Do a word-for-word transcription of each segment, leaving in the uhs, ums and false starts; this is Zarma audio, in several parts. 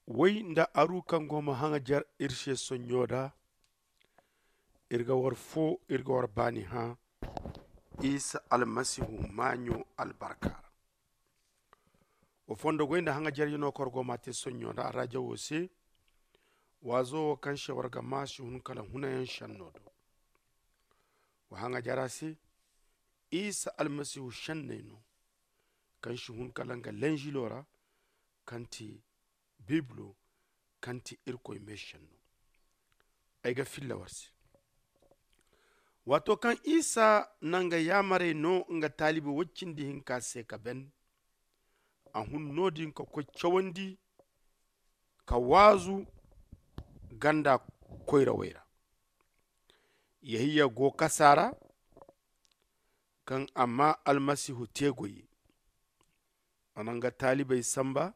Woy nda aru kaŋ go ma haŋajer iri se sonɲo da, iri ga war fo iri ga war baani hã isa almasihu maaɲo albarka ra. Wa fondo goy nda haŋajer yaŋ no kaŋ war go ma a te sonɲo da a raaja wo se. Waazo wo kaŋ se war ga ma si hun kala hunayaŋ senno do. Wa haŋajara se isa almasihu senney no, kaŋ si hun kala nga lenžilo ra, kaŋ ti bibilo, kaŋ ti irkoy meesenno. Ay ga filla war se. Waato kaŋ isa na nga yaamarey no nga taalibi woy cindi hinka se ka ben, a hun no- din ka koy cawandi ka waazu ganda koyrawey ra. Yehiya go kasa ra, kaŋ a ma almasihu te goyey. A na nga taalibey samba,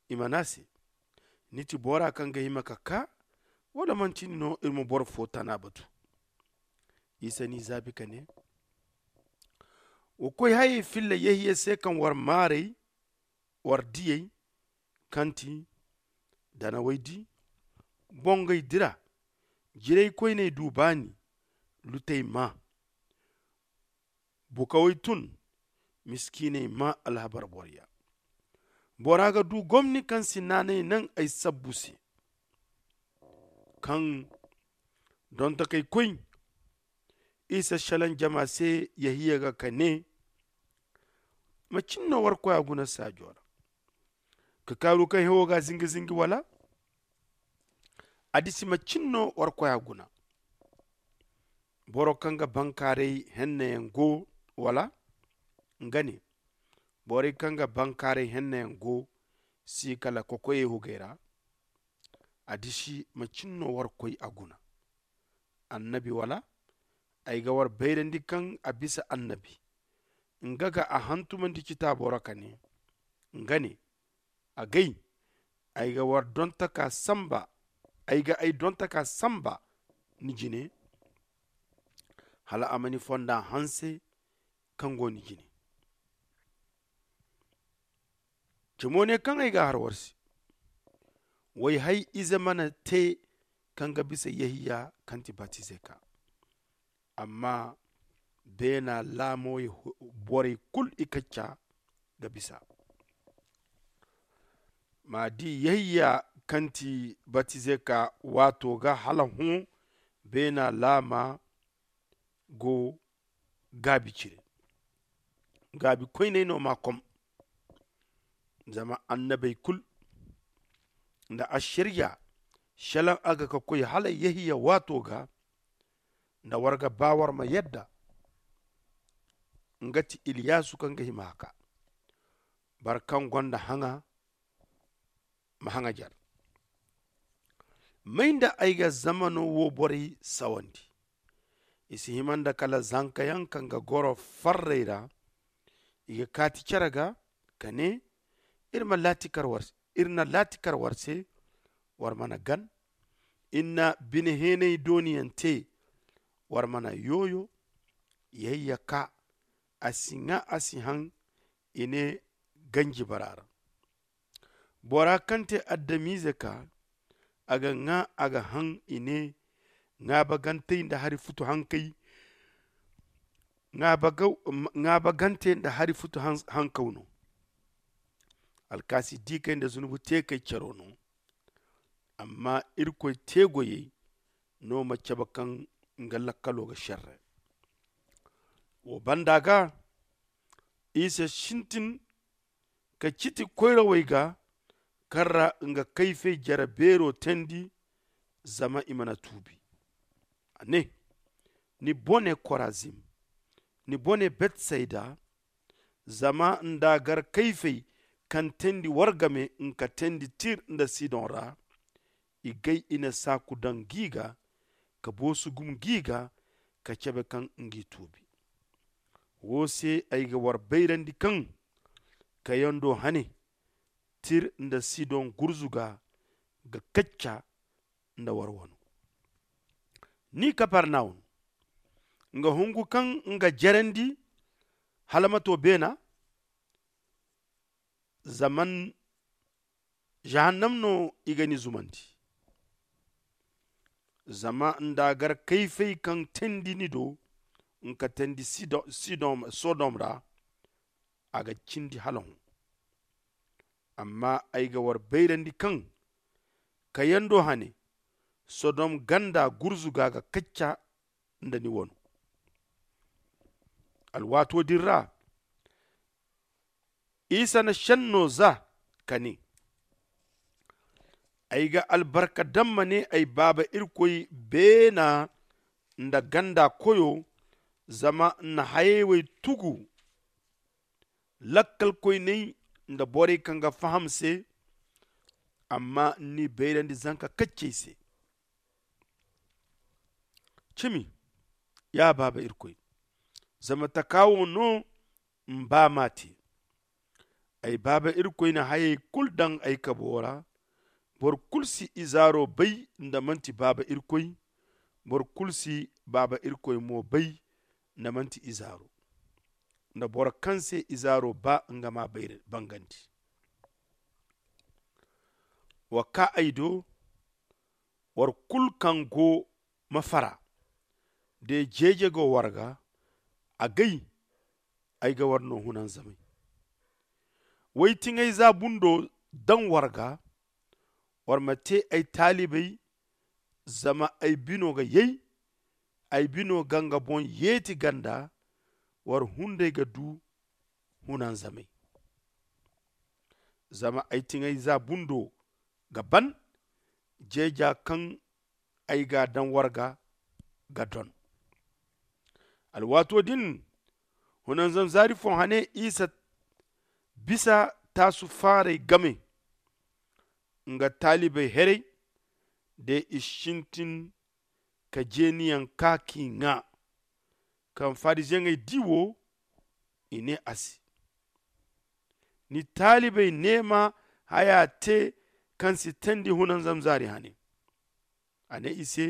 i ma ne a se, ni ti bora kaŋ ga hima ka kaa, wala manti ni no iri ma boro fo tana batu? Isa n'i zaabi ka ne, wa koy hayey filla yehiya se kaŋ war maarey, war diyey, kaŋ ti danawey di, bongey dira, jiraykoyney du baani, lutey maa, bukawey tun, miskiiney maa alhabar boroya. Bora ga du gomni kaŋ si naanay naŋ ay sabbu se. Kaŋ donto k'ay koy, isa selaŋ jama se yehiya ga ka ne, macin no war koy a guna saajo ra? Ka kaaru kaŋ hewo ga zingi zingi wala? A disi macin no war koy a guna? Boro kaŋ ga bankaaray hennayaŋ go wala? Nga ne, borey kaŋ ga bankaaray hennayaŋ go si kala kokoyey hugey ra. A disi macin no war koy a guna? Annabi wala? Ay ga war bayrandi kaŋ a bisa annabi. Nga ga a hantumandi citaabo ra ka ne, nga ne, agay, ay ga war dontaka samba, ay ga ay dontaka samba ni jine, hala a ma ni fonda hanse kaŋ go ni jine. Cimo ne kaŋ ay ga har war se, way hay ize mana te kaŋ ga bisa yehiya kaŋ ti batizeka. Amma beena laamo borey kulu i kacca ga bisa. Ma di yehiya kaŋ ti batizeka waato ga hala hõ, beena laama go gaabi cire. Gaabi koyney no ma kom. Zama annabey kulu nda ašariya, selaŋ a ga ka koy hala yehiya waato ga, nda war ga ba war ma yadda nga ti iliyasu kaŋ ga hima haka. Boro kaŋ gonda haŋa ma haŋajer. May nda ay ga zamano wo borey sawandi? I si hima nda kala zankayaŋ kaŋ ga goro farrey ra. I ga kaati care ga ka ne, iri ma laati kar war se, iri na laati kar war se, war mana gan. Iri na bine heenay dooniyaŋ te, war mana yooyo. Yayya ka a si ŋwa a si haŋ. I ne ganji bara ra. Bora kaŋ te adamize ka a ga ŋwa a ga haŋ. I ne ŋaabagantey nda hari futu hankay. Ŋaabagante nda hari futu hankaw no. Alkaasi diikey nda zunubu teekey caro no. Amma irkoy teegoyey no ma cabe kaŋ nga lakkalo ga serre. Wo banda ga isa sintin ka citi koyrawey ga, kaŋ ra nga kayfey jare beero teendi, zama i mana tuubi. A ne, ni bone korazim, ni bone betsayda, zama nda gar kayfey kaŋ teendi war game nga teendi tir nda sidon ra, i gay i na saaku daŋ gi ga, ka boosu gum gi ga, ka cabe kaŋ ngi tuubi. Wo se ay ga war bayrandi kaŋ kayando hane tir nda sidon gurzuga ga kacca nda war wano. Ni kaparnawun, nga hungu kaŋ nga jerandi hala ma to beena zaman Jahannam no i ga ni zumandi. Zama nda a gar kayfey kaŋ teendi ni do, nka teendi sodom ra, a ga cindi hala hõ. Amma ay ga war bayrandi kaŋ kayando hane, sodom ganda gurzuga ga kacca nda ni wano. Alwaato din ra isa na šenno za ka ne, ay ga albarka daŋ ma ne ay baaba irkoy beena nda ganda koyo, zama n'na hayey wey tugu lakkalkoyney nda borey kaŋ ga faham se. Amma n'ni bayrandi zanka kaccey se. Cimi, ya baaba irkoy, zama taka wo no m'ba m'a te. Ay baaba irkoy na hayey kulu daŋ ay kabo ra. Boro kulu si izaaro bay nda manti baaba irkoy. Boro kulu si baaba irkoy mo bay nda manti izaaro. Nda boro kaŋ se izaaro ba nga m'a bangandi. Wa kaa ay do, war kulu kaŋ go ma fara. De jeeje go war ga, agay ay ga war no hunanzamay. Way tiŋay za bundo daŋ war ga. War ma te ay taalibay, zama ay bino ga yay. Ay bino ga nga boŋ yeeti ganda. War hunday ga du hunanzamay. Zama ay tiŋay za bundo ga ban. Jeeja kaŋ ay ga a daŋ war ga ga don. Alwaato din, hunanzam zaari fo hane isa bisa taasu faaray game. Nga taalibey heray de i sintin ka jeeniyaŋ kaa k'i ŋaa. Kaŋ fariziyeŋey di wo, i ne a se, ni taalibey neema haya te kaŋ si teendi hunanzam zaari hane. A ne i se,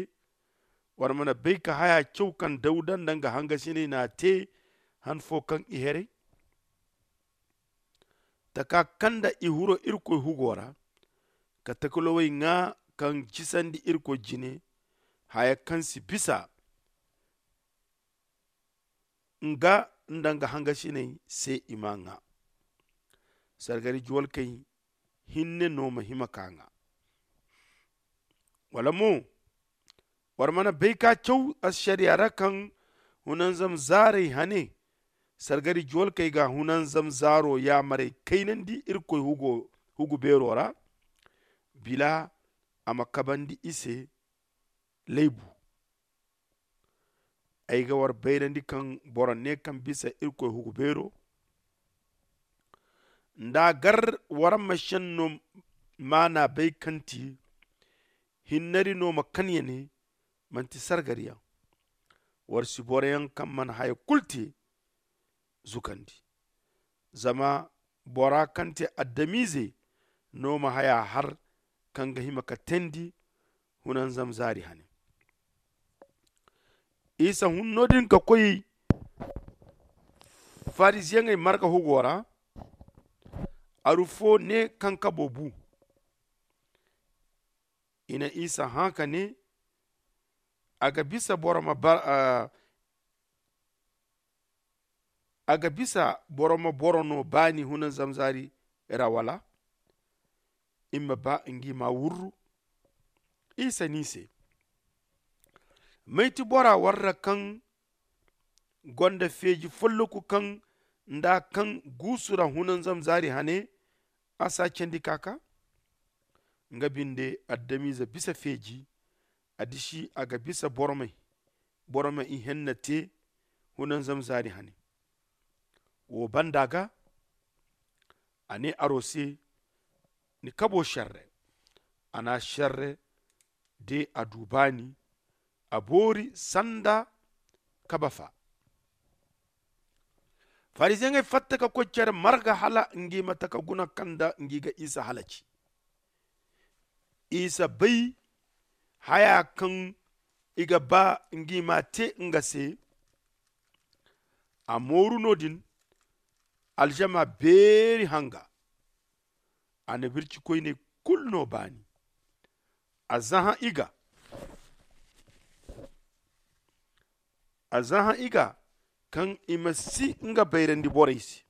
war mana bay ka haya caw kaŋ dawuda nda nga hangasiney n'a te han fo kaŋ i heray? Taka kaŋ nda i huro irkoy hugo ra, ka takalowey ŋaa kaŋ jisandi irkoy jine, haya kaŋ si bisa nga nda nga hangasiney se i m'a ŋaa. Sargari juwalkey hinne no ma hima ka ŋaa. Wala mo, war mana bay ka caw ašariya ra kaŋ hunanzam zaaray hane? Sargari juwalkey ga hunanzam zaaro yaamarey kaynandi irkoy hugu beero ra, bila a ma kabandi i se laybu. Ay ga war bayrandi kaŋ boro ne kaŋ bisa irkoy hugu beero nda a gar war ma senno maana bay kaŋ ti hinnari no ma kan ya ne, manti sargariyaŋ. War si boroyaŋ kaŋ mana haya kulu te zukandi. Zama bora kaŋ te adamize no ma haya har kaŋ ga hima ka teendi hunanzam zaari hane. Isa hun no- din ka koy fariziyeŋey marga hugo ra. Aru fo ne kaŋ kabo bu. I na isa hã ka ne, a ga bisa boro ma bara a ga bisa boro ma boro no baani hunanzam zaari ra wala? I ma ba ngi ma wurru. Isa ni se, may ti bora warra kaŋ gonda feeji folloku kaŋ nda kaŋ guusu ra hunanzam zaari hane? A si a candi ka ka nga binde adamize bisa feeji. A disi a ga bisa boro ma i henna te hunanzam zaari hane. Wo banda ga a ne aro se, ni kabo serre. A na serre de a du baani. A boori sanda kabafa. Fariziyeŋey fatta ka koy care marga hala ngi ma taka guna kaŋ nda ngi ga isa halaci. Isa bay haya kaŋ i ga ba ngi ma te nga se. A mooru no- din. Alžama beeri hanga. A na birci koyne kulu no baani. A zahã i ga a zahã i ga kaŋ i ma si nga bayrandi borey se.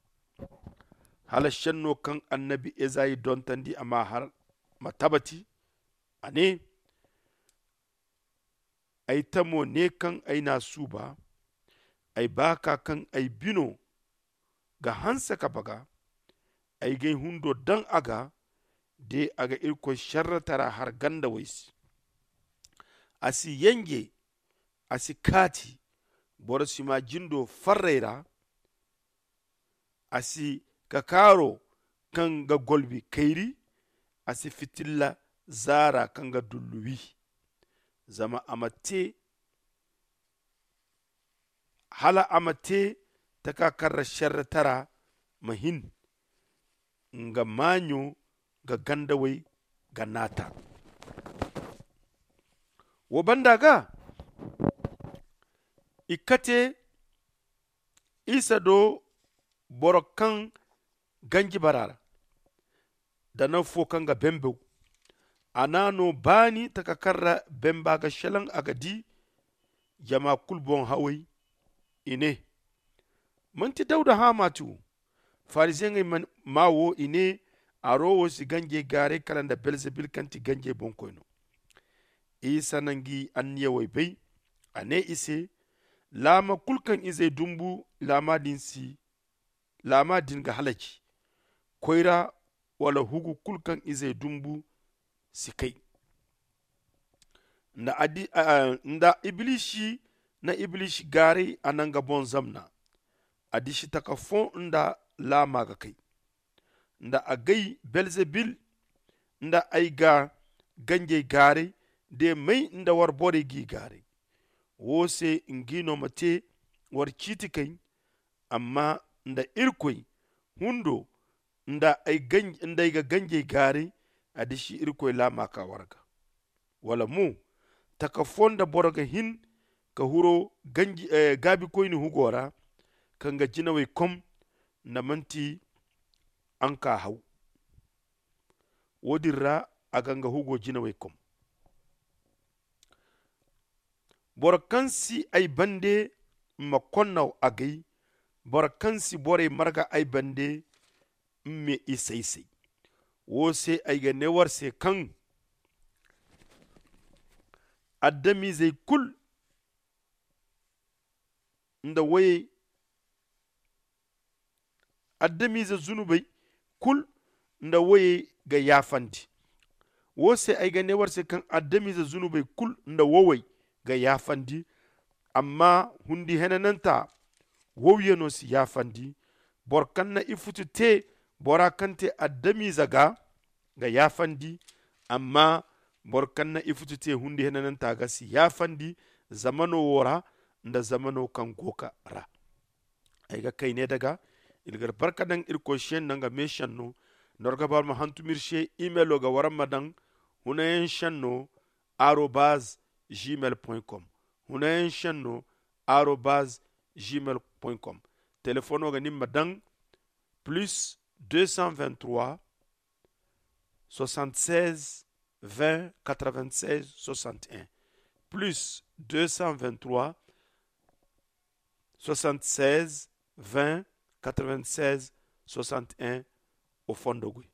Hala šenno kaŋ annabi ezayi dontandi a ma har ma tabati. A ne, ay tamo ne kaŋ ay n'a suuba, ay baaka kaŋ ay bino ga hanse ka baga, ay g'ay hundo daŋ a ga. De a ga irkoy šerretara har gandawey se. A si yenje, a si kaati. Boro si ma jindo farray ra. A si kakaaro kaŋ ga golbi kayri. A si fitilla zaara kaŋ ga dullu wi. Zama a ma te hala a ma te taka kaŋ ra šerretara ma hin. Nga maaɲo ga gandawey ga naata. Wo banda ga i kate isa do boro kaŋ ganji bara ra da naŋ fo kaŋ ga bembew. A n'a no baani taka kaŋ ra bemba ga šelaŋ a ga di jama kulu boŋ haway. I ne, manti dawda haamaati wo? Fariziyeŋey ma wo i ne, aro wo si ganjey gaaray kala nda belzebil kaŋ ti ganjey boŋkoy no. Isa na ngi anniyawey bay. A ne i se, laama kulu kaŋ izey dumbu laama din si laama din ga halaci. Koyra wala hugu kulu kaŋ izey dumbu si kay. Nda ibilisi na ibilisi gaaray a na nga boŋ zamna. A disi taka fo nda laama ga kay nda a gay belzebil nda ay ga ganjey gaaray de may nda war borey g'i gaaray. Wo se ngi no ma te war ciiti kay. Amma nda irkoy hundo nda ay ga ganjey gaaray a disi irkoy laama ka war ga. Wala mo taka fo nda boro ga hin ka huro gaabikoyni hugo ra ka nga jinawey kom nda manti anka haw. Wo- din ra a ga nga hugo jinawey kom. Boro kaŋ si ay bande ma konnaw agay. Boro kaŋ si borey marga ay bande, mme i say-say. Wo se ay ga ne war se kaŋ adamizey kulu nda woyey adamize zunubey kulu nda woyey ga yaafandi. Wo se ay ga ne war se kaŋ adamize zunubey kulu nda wowey ga yaafandi. Amma hundi henananta wowyaŋo si yaafandi. Boro kaŋ na ifutu te bora kaŋ te adamize ga ga yaafandi. Amma boro kaŋ na ifutu te hundi henananta ga si yaafandi zamano wo ra nda zamano kaŋ go ga ra. Ay ga kayne daga iri ga barka daŋ irkoy se nda nga meesenno. Nda war ga ba war ma hantum iri se imelo ga war ma daŋ hunayaŋ senno arobaz gmail com. Hunayaŋ senno arobaz gmail com. Telefono ga nin ma daŋ plus deux cent vingt-trois soixante-seize vingt quatre-vingt-seize soixante-un, plus deux cent vingt-trois soixante-seize vingt quatre-vingt-seize soixante-un. O fondo goy.